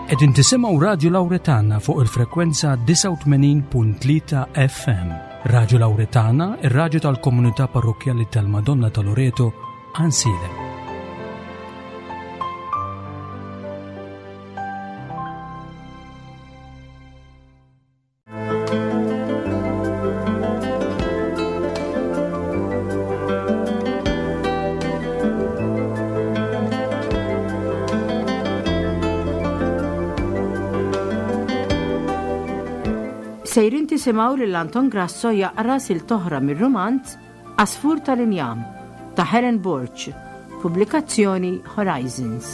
Qegħdin tisimgħu Radju Lawretana fuq il-frekwenza 89.3 FM. Radju Lawretana, ir-radju tal-komunità parrokkjali tal-Madonna ta' Loreto, Ansilem. Sejrin tisimgħu lil Anton Grasso jaqra sil toħra mir-rumanz Għasfur tal-Injam ta' Helen Borg, pubblikazzjoni Horizons.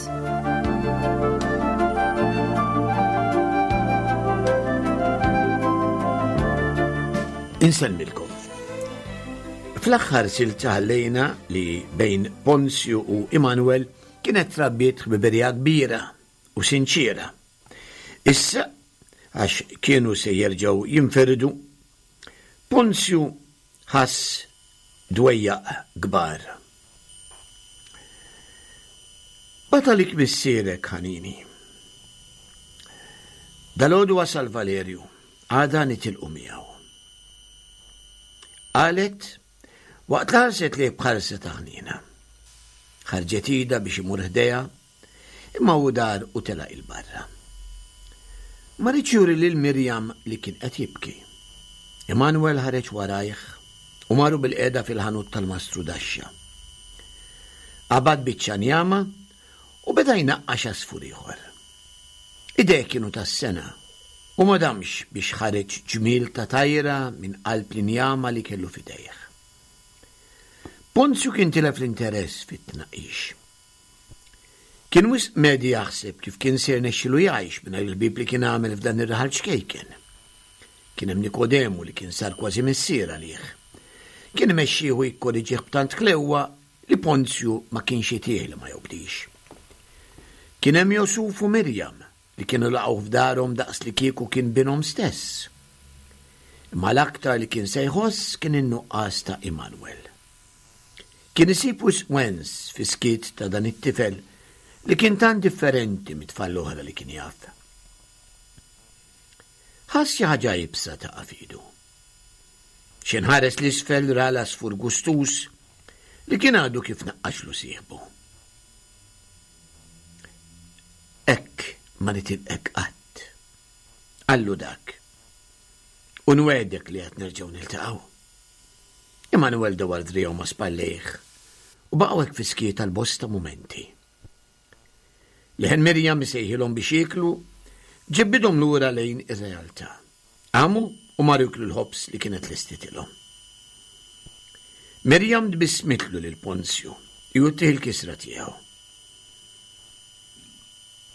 Insellmilkom. Fl-aħħar silta ħallejna li bejn Ponzju u Immanuel kienet trabbiet ħbiberija kbira u sinċiera. Issa, għax kienu se jerġgħu jinfirdu, Ponzju ħass dwejjaq kbar. Bagħat għalik missierek, ħanini. Dalgħodu wasal Valerju, għada nitilqu miegħu. Qalet waqt li ħarset lejh b'ħarsa ta' ħniena. Ħarġet idha biex imur ħdejha Imma hu dar u telaq 'il barra. Ma riedx juri lil Miriam li kien qed jibki. Emanuel ħareġ warajh u marru bilqiegħda fil-ħanut tal-mastru Daxxa. Qabad biċċa njama u beda jnaqqax għasfur ieħor. Idejh kienu tas-sengħa u ma damx biex ħareġ ġmiel ta' tajra minn qalb l-injama li kellu f'idejh. Ponzju kien tilef l-interess fit-tnaqqix. Kien wisq medhi jaħseb kif kien se jirnexxilu jgħix mingħajr il-ħbieb li kien għamel f'dan ir-raħal ċkejken. Kien hemm Nikodemu li kien sar kważi missier għalih. Kien imexxih u jikkoriġih b'tant ħlewwa li Ponzju ma kienx itih li ma jobdix. Kien hemm Josuf u Mirjam li kienu laqgħuh f'darhom daqs li kieku kien binhom stess. Imma l-aktar li kien se jħoss kien in-nuqqas ta' Immanuel. Kien isib wisq wens fis-skiet ta' dan it-tifel li kien tant differenti mit-tfal l-oħra li kien jaf. Ħass xi ħaġa iebsa taqa' f'idu. X'inħares ħares 'l isfel ra l-għasfur gustuż li kien għadu kif naqqaxlu sieħbu. Hekk ma nitilqek qatt, qallu dak, u nwegħdek li għad nerġgħu niltaqgħu. Emanuel dawar driegħu ma' spallejh u baqgħu hekk fis-skiet għal bosta mumenti. Leħen Miriam isejħilhom biex jieklu ġebbidhom lura lejn ir-realtà. Qamu u marru jieklu l-ħobż li kienet lestitilhom. Miriam tbissmitlu lil Ponzju jgħottih il-kisra tiegħu.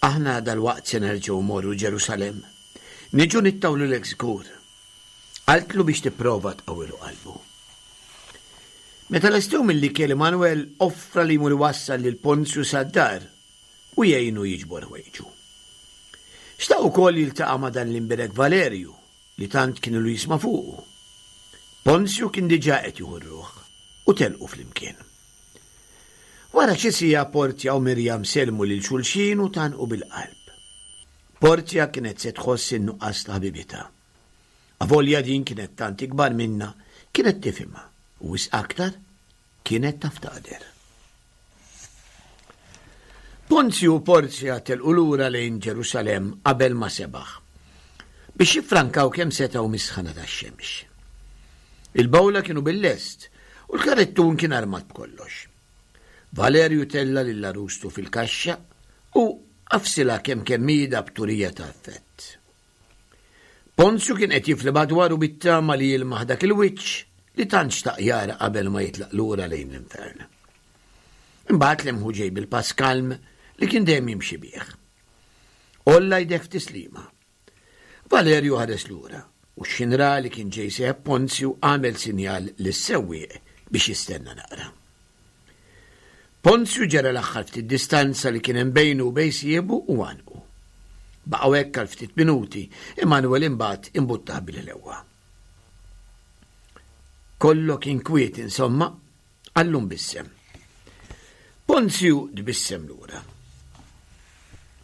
Aħna dalwaqt se nerġgħu mmorru Ġerusalemm. Niġu nittawlulek żgur. Qaltlu biex tipprova tqawwilu qalbu. Meta lestew mill-ikel Emanuel offra li jmur iwassal lil Ponzju sad-dar u jgħinu jiġbor ħwejġu. Xtaq ukoll jiltaqa' ma' dan l-imbierek Valerju li tant kien ilu jisma' fuqu. Ponzju kien diġà qed jieħu r-ruħ u telqu flimkien. Wara xi siegħa Portia u Miriam sellmu lil xulxin u tgħannqu bil-qalb. Portia kienet se tħoss in-nuqqas ta' ħbibitha. Avolja din kienet tant ikbar minnha, kienet tifhimha u wisq aktar kienet taf taqder. Ponzju u Porzja telqu lura lejn Ġerusalemm qabel ma sebaħ, biex jiffrankaw kemm setgħu mis-sħana tax-xemx. Il-bowla kienu bil-lest u l-karettun kien armat b'kollox. Valerju tella' lil għarustu fil-kaxxa u għafsilha kemm kemm idha b'turija ta' effett. Ponzju kien qed jifli madwaru bit-tama li jilmaħ dak il-wiċċ li tant xtaq jara qabel ma jitlaq lura lejn l-infern. Imbagħad lemħu ġej bil-pass kalm li kien dejjem jimxi bih. Għolla jdejh f'tislima. Valerju ħares lura u x'ħin ra li kien ġej sieħeb Ponzju għamel sinjal lis-sewwieq biex jistenna naqra. Ponzju ġera l-aħħar ftit distanza li kien hemm bejnu u bejn sieħbu u għannqu. Baqgħu hekk għal ftit minuti, Emanuel imbagħad imbuttah bil-ħlewwa. Kollo kien kwiet insomma, qallu mbissem. Ponzju tbissem lura.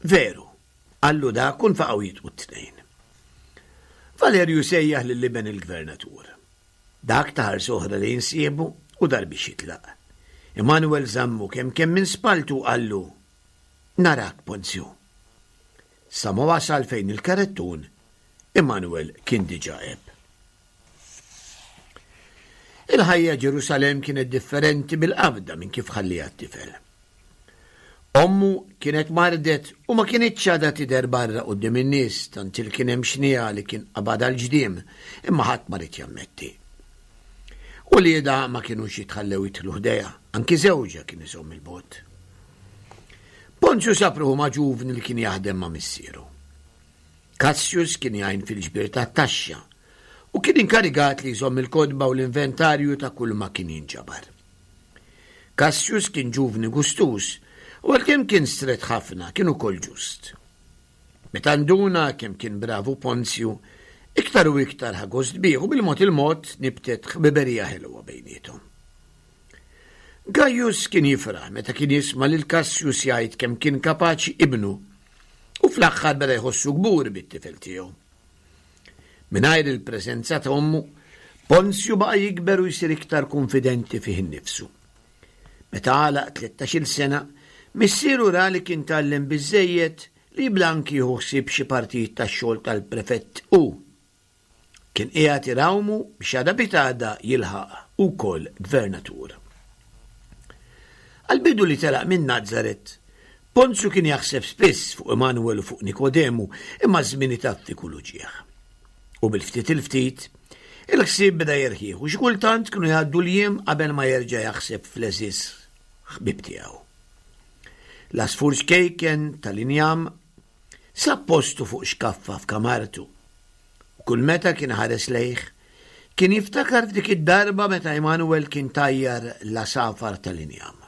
Veru. Qallu dak u nfaqgħu jidqu t-tnejn. Valerju sejjaħ lil iben il-gvernatur. Dak ta ħarsa oħra lejn sieħbu u dar biex jitlaq. Emanuel żammu kemm kemm minn spalltu u qallu, Narak, Ponzju. Sa ma wasal fejn il-karettun, Emanuel kien diġà għeb. Il-ħajja Ġerusalemm kienet differenti bil-qabda minn kif ħalliha t-tifel. Ommu kienet mardet u ma kinitx għadha tidher barra quddiem in-nies tant il kien hemm xniegħa li kien qabadha l-ġdiem imma ħadd ma ried jammetti. Uliedha ma kinux jitħallew jidħlu ħdejha, anki żewġha kien iżomm il-bogħod. Ponzju sab ruħu ma' ġuvni li kien jaħdem ma' missieru. Cassius kien jgħin fil-ġbir tat-taxxa u kien inkarigat li jżomm il-kotba u l-inventarju ta' kull ma kien jinġabar. Cassius kien ġuvni gustuż u għalkemm kien strett ħafna kien ukoll ġust. Meta nduna kemm kien bravu Ponzju, iktar u iktar ħa gost bih u bil-mod il-mod nibtet ħbiberija ħelwa bejniethom. Gaius kien jifraħ meta kien jisma' lil Cassius jgħid kemm kien kapaċi ibnu u fl-aħħar beda jħossu kburi bit-tifel tiegħu. Mingħajr il-preżenza ta' ommu, Ponzju baqa' jikber u jsir iktar kunfidenti fih innifsu. Meta għalaq tlettax-il sena, missieru ra li kien tgħallem biżżejjed li jibda anki jieħu ħsieb xi partijiet tax-xogħol tal-prefett hu. Kien qiegħed irawmu biex għada pitgħada jilħaq ukoll gvernatur. Għall-bidu li telaq minn Nazaret, Ponzju kien jaħseb spiss fuq Emanuel u fuq Nikodemu, imma ż-żmien itaffi kull uġigħ. U bil-ftit il-ftit, il-ħsieb beda jerħih u xi kultant kienu jgħaddu l-jiem qabel ma jerġa' jaħseb fl-għeżież ħbieb tiegħu. L-għasfur ċkejken tal-injam sab postu fuq xkaffa f'kamartu u kull meta kien iħares lejh, kien jiftakar f'dik id-darba meta Emanuel kien tajjar l-għasafar tal-injam.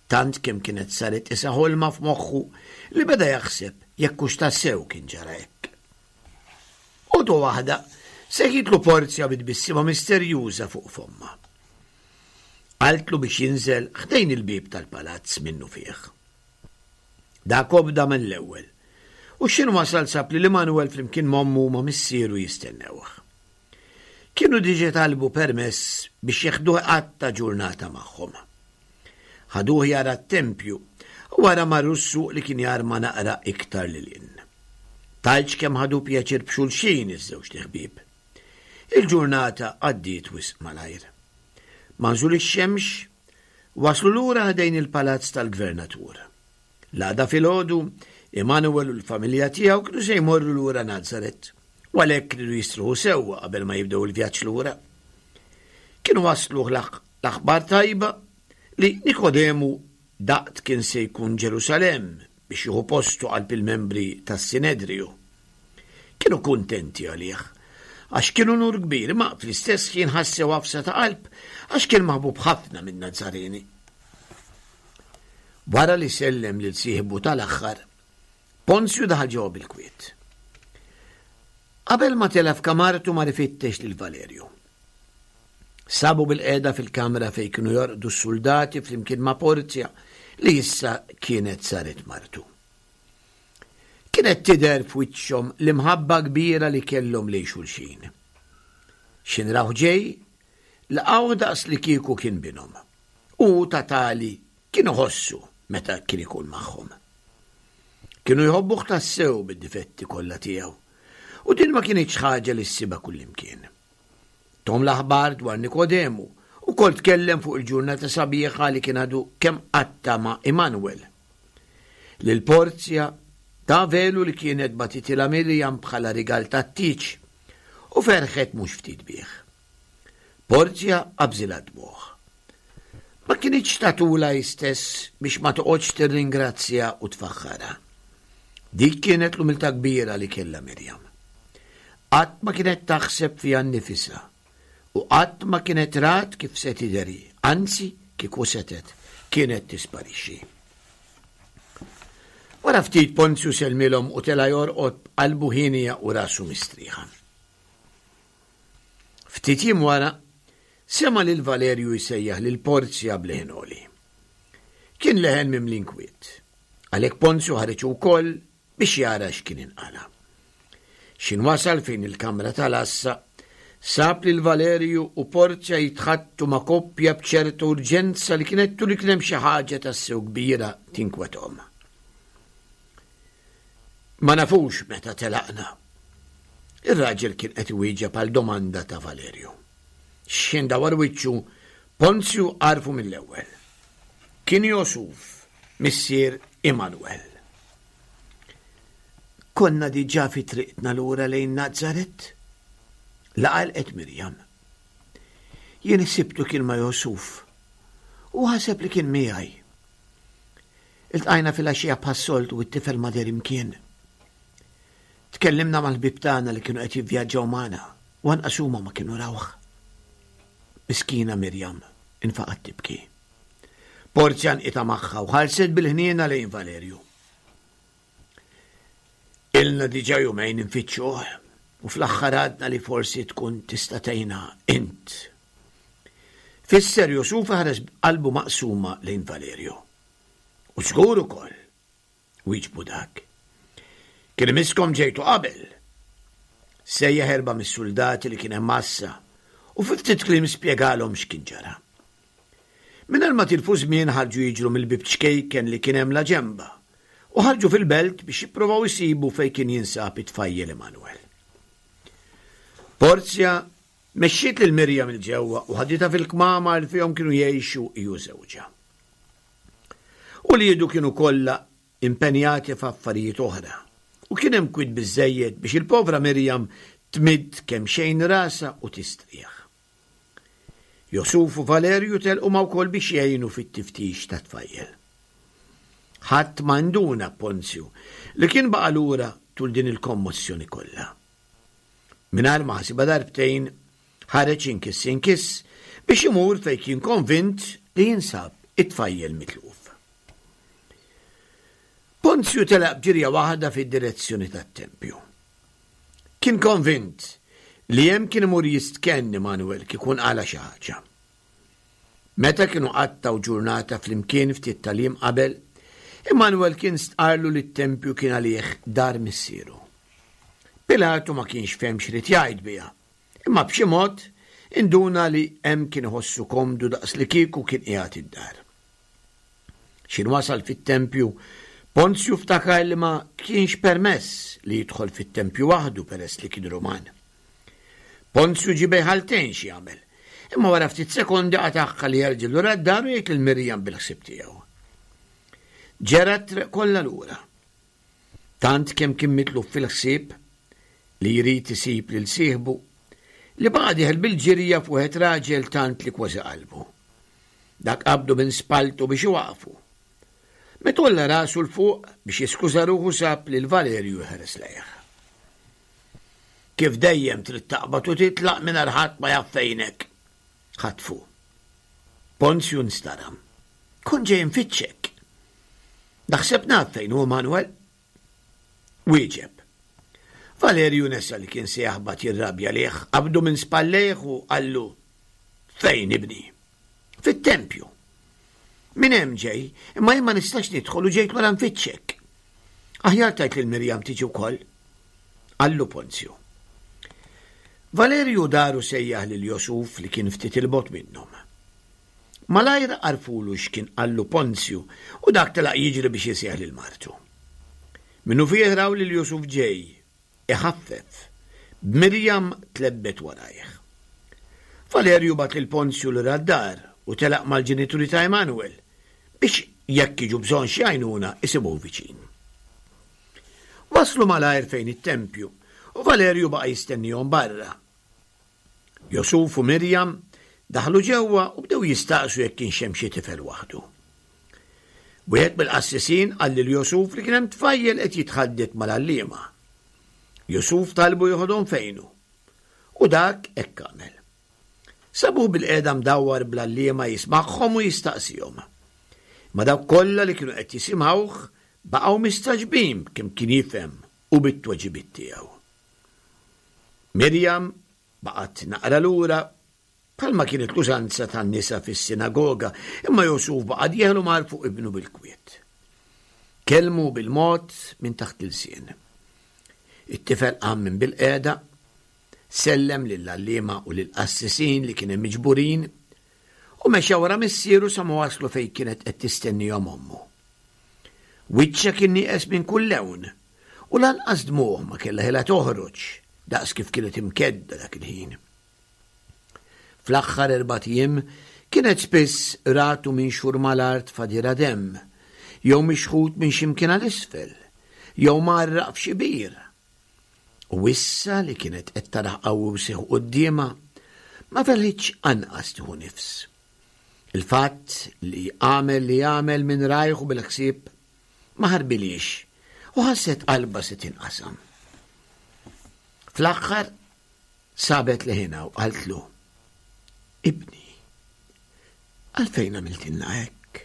Tant kemm kienet saret qisha ħolma f'moħħu li beda jaħseb jekk hux tassew kien ġara hekk. Għodwa waħda seħitlu Porzja bi tbissima misterjuża fuq fommha. Qaltlu biex jinżel ħdejn il-bieb tal-palazz minnufih. Dak obda mill-ewwel u x'ħin wasal sab lil Emanuel flimkien m'ommu u ma' missieru jistennewh. Kienu diġa talbu permess biex jeħduh iqatta' ġurnata magħhom. Ħaduh jara t-tempju u wara marru s-suq li kien jarma naqra iktar lil hinn. Tgħidx kemm ħadu pjaċir b'xulxin iż-żewġt iħbieb. Il-ġurnata għaddiet wisq malajr. Ma' nżul ix-xemx, waslu lura ħdejn il-palazz tal-gvernatur. L-għada filgħodu, Immanuel u l-familja tiegħu kienu se jmorru lura Nazaret, u għalhekk riedu jistrieħu sewwa qabel ma jibdew il-vjaġġ lura. Kienu wasluh l-aħbar tajba li Nikodemu daqt kien se jkun Ġerusalemm biex jieħu postu qalb il-membri tas-Sinedriju. Kienu kuntenti għalih, għax kien unur kbir, imma fl-istess ħin ħassew għafsa ta' qalb għax kien maħbub ħafna min-Nazarini. Wara li sellem lil sieħbu tal-aħħar, Ponzju daħal ġewwa bil-kwiet. Qabel ma tela' f'kamartu mar ifittex lil Valerju. Sabu bil-qiegħda fil-kamra fejn kienu jorqdu s-suldati flimkien ma' Porzja li issa kienet saret martu. Kienet tidher f'wiċċhom l-imħabba kbira li kellhom lejn xulxin. X'in rawh ġej, laqgħuh daqs li kieku kien binhom. U hu ta' tali kien iħossu meta kien ikun magħhom. Kienu jħobbuh tassew bid-difetti kollha tiegħu, u din ma kinitx ħaġa li ssibha kullimkien. Thom l-aħbar dwar Nikodemu, ukoll tkellem fuq il-ġurnata sabiħa li kien għadu kemm qatta' ma' Immanuel. Lil Porzja ta velu li kienet bagħtitilha Miriam bħala rigal tat-tieġ, u ferħet mhux ftit bih. Porzja qabżilha d-dmugħ. Ma kinitx tagħtulha hi stess biex ma toqgħodx tirringrazzja u tfaħħarha. Dik kienet l-umiltà kbira li kellha Miriam. Qatt ma kienet taħseb fiha nnifisha u qatt ma kienet rat kif se tidher hi, anzi kieku setgħet, kienet tisparixxi. Wara ftit Ponzju sellmilhom u tela' jorqod b'qalbu hienja u rasu mistrieħa. Ftit jiem wara, sema' lil Valerju jsejjaħ lil Porzja b'leħen għoli. Kien leħen mimli inkwiet. Għalhekk Ponzju ħareġ hu wkoll biex jara x'kien inqala'. X'in wasal fejn il-kamra tal-għassa, sab lil Valerju u Porzja jitħaddtu ma' koppja b'ċerta urġenza li kienet turi kien hemm xi ħaġa tassew kbira tinkwethom. Ma nafux meta telaqna. Ir-raġel kien qed iwieġeb għal domanda ta' Valerju. X'ħin dawar wiċċu, Ponzju għarfu mill-ewwel. Kien Josuf, missier Immanuel. Konna diġà fi triqtna lura lejn Nazaret? Laqalqet Mirjam. Jien ħsibtu kien ma' Josuf u ħaseb li kien miegħi. Iltqajna filgħaxija bħas-soltu u t-tifel ma deher imkien. Tkellimna mal-ħbieb tagħna li kienu qed jivvjaġġaw magħna u anqas huma ma kienu rawh. Miskina Mirjam infaqgħet tibki. Porzja nqita' magħha u ħarset bil-ħniena lejn Valerju. Ilna diġà jumejn infittxuh u fl-aħħar għadna li forsi tkun tista' tgħinna int. Fisser Jusuf ħares b'qalbu maqsuma lejn Valerju. U żgur ukoll, wieġbu dak. Kien imisskom ġejtu qabel. Sejjaħ erba' mis-suldati li kien hemm għassa u fi ftit kliem spjegalhom x'kien ġara. Mingħajr ma tilfu żmien ħarġu jiġru mill-bieb ċkejken li kien hemm laġenba u ħarġu fil-belt biex jippruvaw isibu fejn kien jinsab it-tfajjel Emanuel. Porzja mexxiet lil Mirjam 'il ġewwa u ħaditha fil-kmamar li fihom kienu jgħixu hi u żewġha. Uliedu kienu kollha impenjati f'affarijiet oħra, u kien hemm kwiet biżżejjed biex il-povra Mirjam tmidd kemxejn rasha u tistrieħ. Josuf u Valerju telqu ma wkoll biex jgħinu fit-tiftix tat-tfajjel. Ħadd ma nduna b'Ponzju li kien baqa' lura tul din il-kommossjoni kollha. Mingħajr ma ħasibha darbtejn, ħareġ inkiss inkiss biex imur fejn kien konvint li jinsab it-tfajjel mitluf. Ponzju telaq b'ġirja waħda fid-direzzjoni tat-tempju. Kien konvint li hemm kien imur jistkenn Immanuel kieku nqala' xi ħaġa. Meta kienu qattgħu ġurnata flimkien ftit tal-jiem qabel, Immanuel kien stqarrlu li t-tempju kien għalih dar missieru. Pilatu ma kienx fehem x'ried jgħid biha, imma b'xi mod induna li hemm kien iħossu komdu daqslikieku kien qiegħed id-dar. X'ħin wasal fit-tempju, Ponzju ftakar li ma kienx permess li jidħol fit-tempju waħdu peress li kien Ruman. Ponzju ġie bejn ħaltejn x'jagħmel, imma wara ftit sekondi qatagħha li jerġa' lura d-dar u jgħid lil Mirjam bil-ħsieb tiegħu. Ġera t-triq kollha lura. Tant kemm kien mitluf fil-ħsieb li jrid isib lil sieħbu, li baqa' dieħel bil-ġirja f'wieħed raġel tant li kważi qalbu. Dak qabdu minn spalltu biex iwaqqfu. Meta għolla rasu 'l fuq biex jiskuża ruħu sab lil Valerju jħares lejh. Kif dejjem trid taqbad u titlaq mingħajr ħadd ma jaf fejnek? Ħatfu. Ponzju nstaram. Kont ġej infittxek. Naħseb naf fejn hu Manuel. Wieġeb. Valerju nesa li kien se jaħbat jirrabja lih, qabdu minn spallejh u qallu, Fejn ibni? Fit-tempju. Minn hemm ġej, imma jien ma nistax nidħol u ġejt wara nfittxek. Aħjar tajt lil Mirjam tiġi wkoll. Qallu Ponzju. Valerju daru sejjaħ lil Josuf li kien ftit il-bogħod minnhom. Malajr għarfulu x'kien qallu Ponzju u dak telaq jiġri biex isejjaħ lil martu. Minnufih raw lil Jusuf ġej, iħaffef, b'Mirjam tlebbet warajh. Valerju bagħat lil Ponzju lura d-dar u telaq mal-ġenituri ta' Emanuel biex jekk jiġu bżonn xi għajnuna isibuh viċin. Waslu malajr fejn it-tempju u Valerju baqa' jistennihom barra. Josuf u Mirjam daħlu ġewwa u bdew jistaqsu jekk kienx hemm xi tifel waħdu. Wieħed mill-qassisin qal lil Josuf li kien hemm tfajjel qed jitħaddet mal-għalliema. Josuf talbu joħodhom fejnu. U dak hekk għamel. Sabuh bilqiegħda mdawwar bl-għalliema jismagħhom u jistaqsihom. Imma dawk kollha li kienu qed jisimgħuh baqgħu mistagħġbin b'kemm kien jifhem u bit-tweġibiet tiegħu. Mirjam baqgħet naqra lura, bħalma kienet l-użanza tan-nisa fis-sinagoga, imma Josuf baqa' dieħel u mar fuq ibnu bil-kwiet. Kellmu bil-mod minn taħt l-ilsien. It-tifel qam minn bilqiegħda, sellem lill-għalliema u lill-qassisin li kien hemm miġburin, u mexa wara missieru sa ma waslu fejn kienet qed tistennihom ommu. Wiċċha kien nieqes minn kull lewn, u lanqas dmugħ ma kellha ħila toħroġ daqs kif kienet imkedda dak il-ħin. Fl-aħħar erbat ijiem kienet spiss ratu minxur mal-art f'għadira demm, jew mixħut minn xi mkien għal isfel, jew mgħarraq f'xi bir. U issa li kienet qed tarah qawwi u sieħ quddiemha, ma felħitx anqas tieħu nifs. Il-fatt li għamel li għamel minn rajh u bil-ħsieb ma ħarbilhiex u ħasset qalbha se tinqasam. Fl-aħħar Sabet leħinha u qaltlu, Ibni, għalfejn għamiltilna hekk?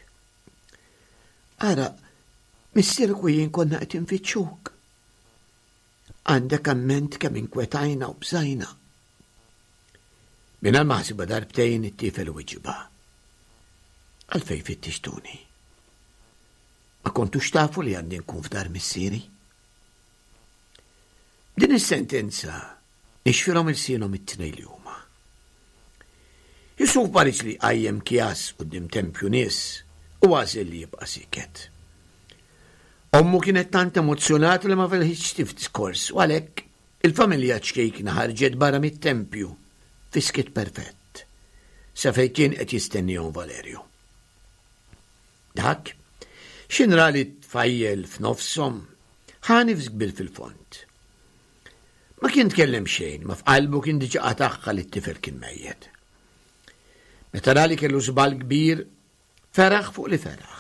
Ara, missierek u jien konna qed infittxuk. Għandek amment kemm inkwetajna u bżajna. Mingħajr ma ħasibha darbtejn it-tifel wiġibha. Għalfejn fittixtuni? Ma kontux tafu li għandi nkun f'dar missieri? Din is-sentenza nixfilhom ilsienhom it-tnejn li huma. Yusuf ma riedx li jqajjem kjas quddiem tempju nies u għażel li jibqa' sieket. Ommu kienet tant emozzjonata li ma felħitx tif diskors u għalhekk il-familja ċkejkna ħarġet barra mit-tempju fi skiet perfett sa fejn kien qed jistennihom Valerju. Dak, x'in ra li t-tfajjel f'nofshom, ħa nifs kbir fil-fond. Ma kien tkellem xejn, ma f'qalbu kien diġà qatagħha li t-tifel kien mejjet. Meta ra li kellu żball kbir, feraħ fuq li feraħ.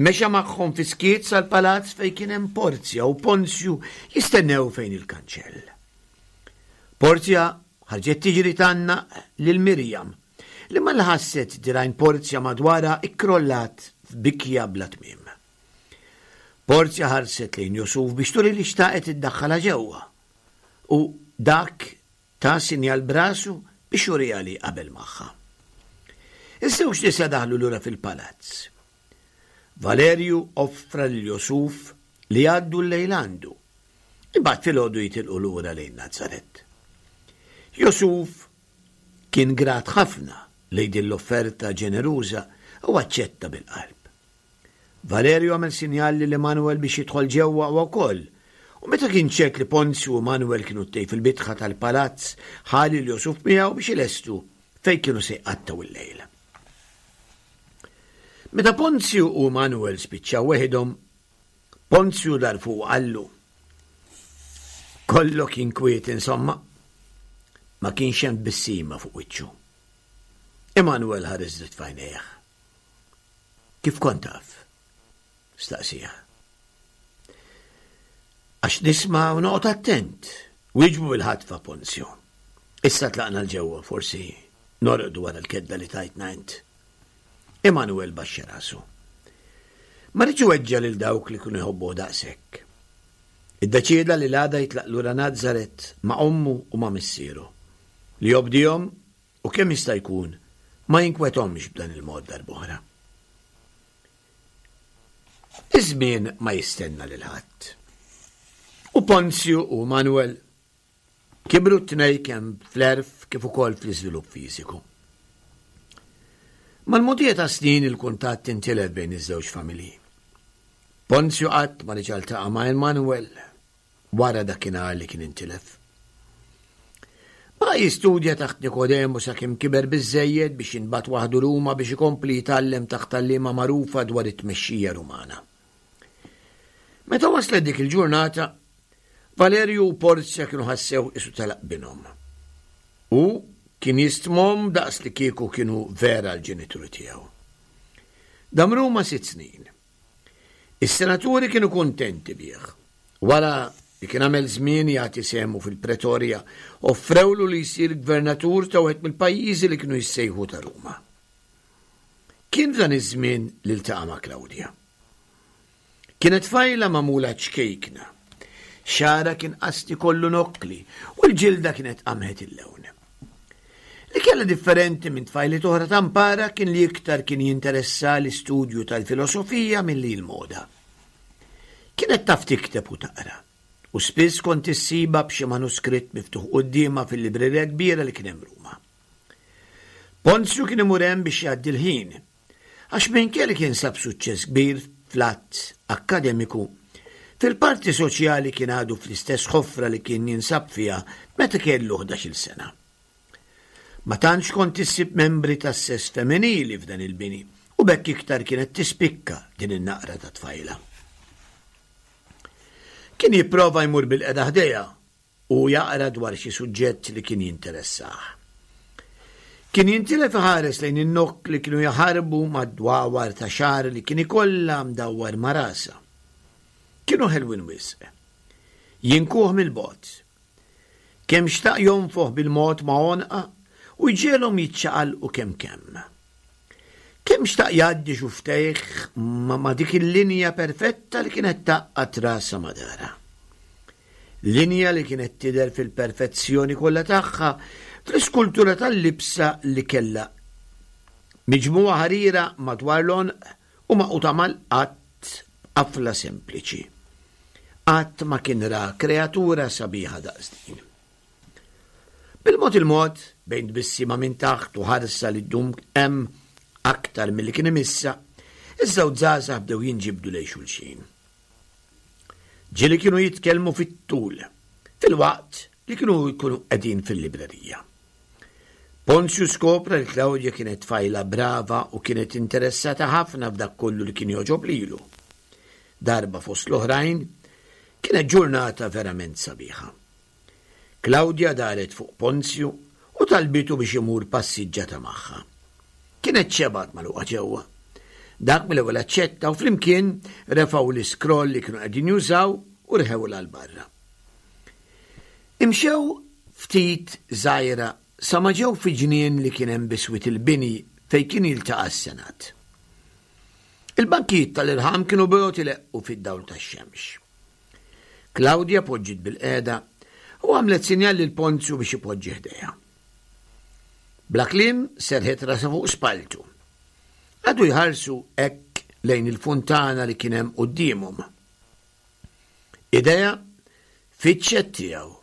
Mexa magħhom fi skiet sal-palazz fejn kien hemm Porzja u Ponzju jistennew fejn il-kanċell. Porzja ħarġet tiġri tgħannaq lil Mirjam li malli ħasset dirgħajn Porzja madwarha kkrollat f'bikja bla tmiem. Porzja ħarset lejn Jusuf biex turi li xtaqet iddaħħalha ġewwa u dak ta sinjal b'rasu biex juriha li qabel magħha. Iż-żewġ nisa daħlu lura fil-palazz. Valerju offra lil Jusuf li jgħaddu l-lejl għandu. Imbagħad filgħodu jitilqu lura lejn Nazaret. Jusuf Kien grat ħafna lejn din l-offerta ġeneruża u aċċetta bil-qalb. Valerio għamel sinjal lil Emanuel biex jidħol ġewwa huwa wkoll, u meta kien ċert li Ponzju u Emanuel kienu t-tnejn fil-bitħa tal-palazz, ħa lil Josuf miegħu biex ilestu fejn kienu se jqattgħu l-lejl. Meta Ponzju u Emanuel spiċċaw weħidhom, Ponzju dar fuq u qallu, Kollok inkwiet insomma. Ma kienx hemm tbissima fuq wiċċu. Emanuel ħares dritt f'għajnejh. Kif kont taf? Staqsih. Għax nisma' u noqgħod attent, wieġbu bil-ħatfa Ponzju. Issa tlaqna 'l ġewwa forsi norqdu wara l-kedda li tajtna int. Emanuel baxxa rasu. Ma riedx iweġġa' lil dawk li kienu jħobbuh daqshekk. Iddeċieda li l-għada jitlaq lura Nazaret ma' ommu u ma' missieru, li jobdihom u kemm jista' jkun ma jinkwethomx b'dan il-mod darb'oħra. Iż-żmien ma jistenna lil ħadd. U Ponzju u Manuel Kibru t-tnejn kemm fl-għerf kif ukoll fl-iżvilupp fiżiku. Mal-mogħdija tas-snin il-kuntatt intilef bejn iż-żewġ familji. Ponzju qatt ma reġa' ltaqa' ma' Emanuel wara dakinhar li kien intilef. Baqa' jistudja taħt Nikodemu sakemm kiber biżżejjed biex jinbagħat waħdu Ruma biex ikompli jitgħallem taħt għalliema magħrufa dwar it-tmexxija Rumana. Meta waslet dik il-ġurnata, Valerju u Porzja kienu ħassew qisu telaq binhom. Hu kien jistmhom daqs li kieku kienu vera l-ġenituri tiegħu. Dam Ruma sitt snin. Is-senaturi kienu kuntenti bih. Wara li kien għamel żmien jagħti sehmu fil-Pretorja, offrewlu li jsir gvernatur ta' wieħed mill-pajjiżi li kienu jissejħu ta' Ruma. Kien f'dan iż-żmien li ltaqa' ma' Klawdja. Kienet tfajla magħmula ċkejkna. Xagħarha kien qasti kollu nokkli u l-ġilda kienet qamħet il-lewn. Li kellha differenti minn tfajliet oħra ta' mpara kien li iktar kien jinteressa l-istudju tal-filosofija milli l-moda. Kienet taf tikteb u taqra, u spiss kont issibha b'xi manuskritt miftuħ quddiemha fil-librerija kbira li kien hemm Ruma. Ponzju kien imur hemm biex jgħaddi l-ħin, għax minkejja li kien sab suċċess kbir fl-att akkademiku, fil-parti soċjali kien għadu fl-istess ħofra li kien jinsab fiha meta kellu ħdax-il sena. Ma tantx kont issib membri tas-sess femminili f'dan il-bini u b'hekk iktar kienet tispikka din in-naqra ta' tfajla. Kien jipprova jmur bilqiegħda ħdejha u jaqra dwar xi suġġett li kien jinteressah. Kien jintilef iħares lejn in-nokk li kienu jaħarbu mad-dwawar ta' xagħar li kien ikollha mdawwar ma' rasha. Kienu ħelwin wisq. Jinkuh mill-bogħod. Kemm xtaq jonfoħ bil-mod ma' għonqha u jġegħelhom jiċċaqalqu kemm kemm. Kemm xtaq jgħaddi xufftejh ma' dik il-linja perfetta li kienet tgħaqqad rasha ma' darha. Linja li kienet tidher fil-perfezzjoni kollha tagħha fl-iskultura tal-libsa li kellha miġmugħa ħarira madwar l-għonq u magħquda mal-qadd b'qafla sempliċi. Qatt ma kien ra kreatura sabiħa daqs din. Bil-mod il-mod, bejn tbissima minn taħt u ħarsa li ddum hemm aktar milli kien imissha, iż-żewġ żgħażagħ bdew jinġibdu lejn xulxin. Ġieli kienu jitkellmu fit-tul, filwaqt li kienu jkunu qegħdin fil-librerija. Ponzju skopra li Claudia kienet tfajla brava u kienet interessata ħafna f'dak kollu li kien jogħġob lilu. Darba fost l-oħrajn, kienet ġurnata verament sabiħa. Claudia daret fuq Ponzju u talbitu biex imur passiġġata magħha. Kienet xebgħet magħluqa ġewwa. Dak mill-ewwel aċċetta u flimkien refgħu l-iskroll li kienu qegħdin jużaw u rħewlha 'l barra. Imxew ftit żgħira sa ma ġew fi ġnien li kien hemm biswit il-bini fejn kien jiltaqa' s-Senat. Il-bankijiet tal-irħam kienu bojod ileqqu fid-dawl tax-xemx. Claudia poġġiet bilqiegħda u għamlet sinjal lil Ponzju biex ipoġġi ħdejha. Bla kliem serħet rasha fuq spalltu. Qagħdu jħarsu hekk lejn il-funtana li kien hemm quddiemhom. Idejha fittxet tiegħu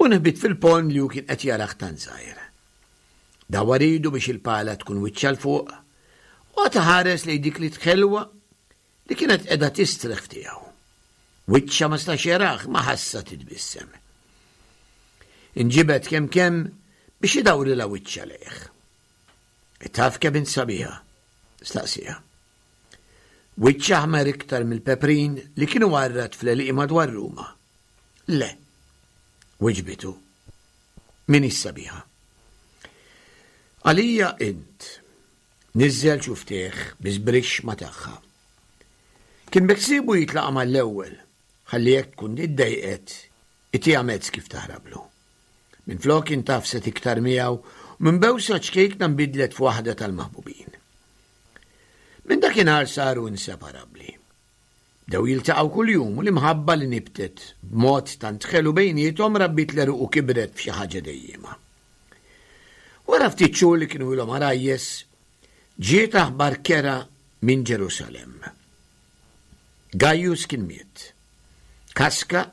u nħbit fil-ponn li hu kien qed jarah tant żgħir. Dawwar idu biex il-pala tkun wiċċha 'l fuq u qagħad iħares lejn dik l-id ħelwa li kienet qiegħda tistrieħ f'tiegħu. Wiċċha ma stax jarah imma ħassha titbissem. Inġibed kemm kemm biex idawrilha wiċċha lejh. Taf kemm int sabiħa? staqsieha. Wiċċha aħmar iktar mill-peprin li kienu għarrat fl-għelieqi madwar Ruma. Le, wiġbitu. M'iniex sabiħa. Għalija int. Niżżel xufftejh bi żbrixx ma' tagħha. Kien beħsiebu jitlaqa' mal-ewwel ħalli jekk tkun iddejqet itiha mezz kif taħrablu. Minflok intgħafset iktar miegħu u minn bewsa ċkejkna nbidlet f'waħda tal-maħbubin. Minn dakinhar saru inseparabbli. Bdew jiltaqgħu kuljum u l-imħabba li nibtet b'mod tant ħelu bejniethom rabbiet l-għeruq u kibret f'xi ħaġa dejjiema. Wara ftit xhur li kienu ilhom għarajjes, ġiet aħbar kerha minn Ġerusalemm. Gaius kien miet. Kaska,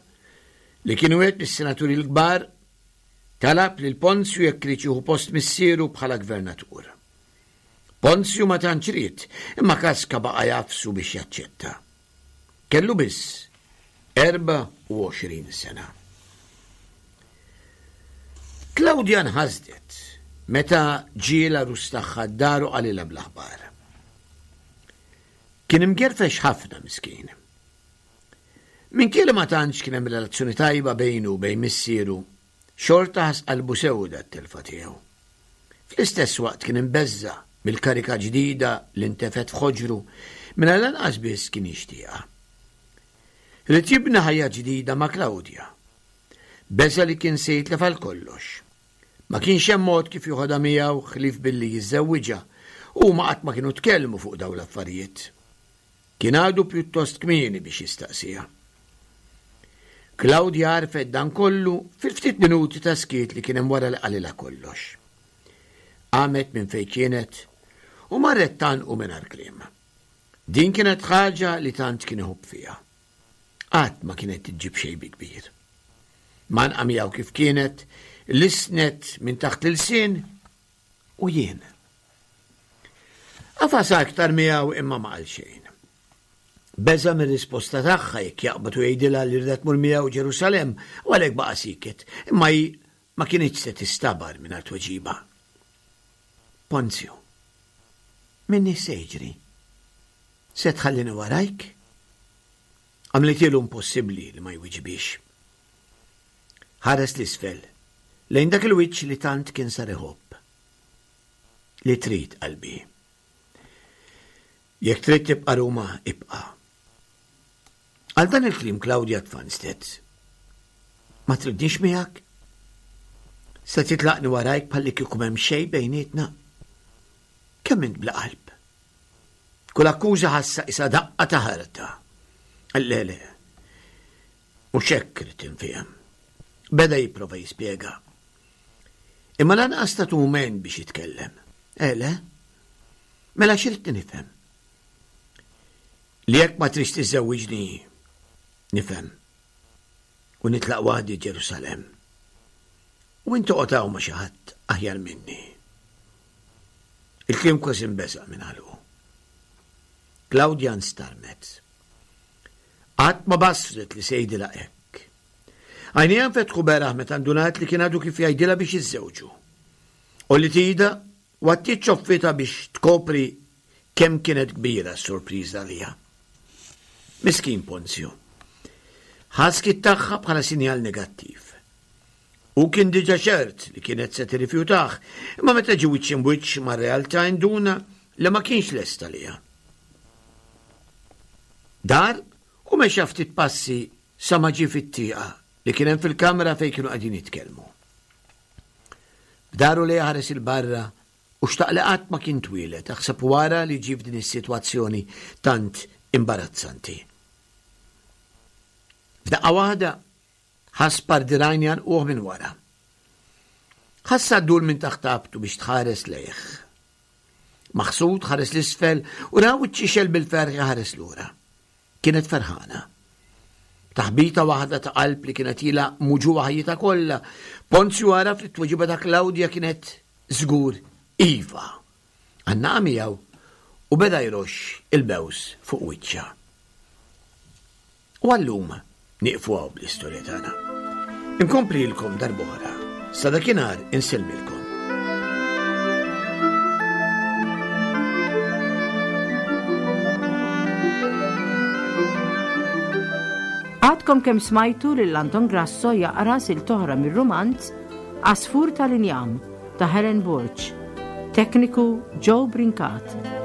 li kien wieħed mis-senaturi l-kbar, talab lil Ponzju jekk riedx jieħu post missieru bħala gvernatur. Ponzju ma tantx ried, imma Kaska baqa' jagħfsu biex jaċċetta. Kellu biss 24 sena. Klawdja nħasdet meta ġie l-għarus tagħha d-dar u qalilha bl-aħbar. Kien imgerfex ħafna miskin. Minkejja li ma tantx kien hemm relazzjoni tajba bejnu u bejn missieru, xorta ħass qalbu sewda t-telfa tiegħu. Fl-istess waqt kien imbeżża' mill-karika ġdida li ntefgħet f'ħoġru mingħajr lanqas biss kien jixtieqha. Ried jibni ħajja ġdida ma' Claudia. Beża' li kien se jitlef għal kollox. Ma kienx hemm mod kif joħodha miegħu ħlief billi jiżżewwiġha u huma qatt ma kienu tkellmu fuq dawn l-affarijiet. Kien għadu pjuttost kmieni biex jistaqsiha. Claudia għarfet dan kollu fil-ftit minuti ta' skiet li kien hemm wara li qalilha kollox. Qamet minn fejn kienet u marret tgħannqu mingħajr kliem. Din kienet ħaġa li tant kien iħobb fiha. Qatt ma kienet iġġib xejn bi kbir. Mgħannqa miegħu kif kienet, lissnet minn taħt l-ilsien u jien. Għafas aktar miegħu imma ma qal xejn. Beża' mir-risposta tagħha jekk jaqbad u jgħidilha li rieda tmur miegħu Ġerusalemm u għalhekk baqa' sieket, imma hi ma kinitx se tistabar mingħajr tweġiba. Ponzju, minni x'se jiġri? Se tħallini warajk? Għamlitielu impossibbli li ma jwiġibhiex. Ħares 'l isfel, lejn dak il-wiċċ li tant kien sar iħobb. Li trid, qalbi. Jekk trid tibqa' Ruma, ibqa'. Għal dan il-kliem Claudia tfanstet. Ma tridnix miegħek? Se titlaqni warajk bħalli kieku m'hemm xejn bejnietna? Kemm int bla qalb? Kull akkuża ħassa isa daqqa ta' ħarta. Le, le. Mhux hekk ridt infiehem. Beda jipprova jispjega. Imma lanqas tatu mument biex jitkellem. Eh, le? Mela x'ridtni nifhem? Li jekk ma tridx tiżżewwiġni, nifhem. U nitlaq waħdi Ġerusalemm. U int toqgħod hawn ma' xi ħadd aħjar minni. Il-kliem kważi nbeżaq minn ħalqu. Claudia nstarmet. Qatt ma basret li se jgħidilha hekk. Għajnejha nfetħu beraħ meta ndunat li kien għadu kif jgħidilha biex jiżżewġu. Għolliet idha u għattiet ċoffitha biex tkopri kemm kienet kbira s-sorpriża għaliha. Miskin Ponzju. Ħa skiet tagħha bħala sinjal negattiv. Hu kien diġà ċert li kienet se tirrifjutah, imma meta ġie wiċċ imbwiċċ mar-realtà induna li ma kienx lest għaliha. Dar u mexa ftit passi sa ma ġie fit-tieqa li kien hemm fil-kamra fejn kienu qegħdin jitkellmu. B'daru lejha ħares 'il barra u xtaq li qatt ma kien twieled, aħseb u ara li ġie f'din is-sitwazzjoni tant imbarazzanti. F'daqqa waħda ħass par dirgħajn jgħannquh minn wara. Ħassha ddur minn taħt għabtu biex tħares lejh. Maħsud ħares 'l isfel u ra wiċċ ixgħel bil-ferħ iħares lura. Kienet ferħana. Taħbita waħda ta' qalb li kienet ilha muġugħa ħajjitha kollha, Ponzju għaraf li t-tweġiba ta' Klawdja kienet żgur iva. Għannaqa miegħu u beda jroxx il-bews fuq wiċċha. U għallum nieqfu hawn bl-istorja tagħna. Inkomplilkom darb'oħra. Sa dakinhar insellmilkom. Għadkom kemm smajtu lil Anton Grasso jaqra silt oħra mir-rumanz Għasfur tal-Injam ta' Helen Borg. Tekniku Joe Brincat.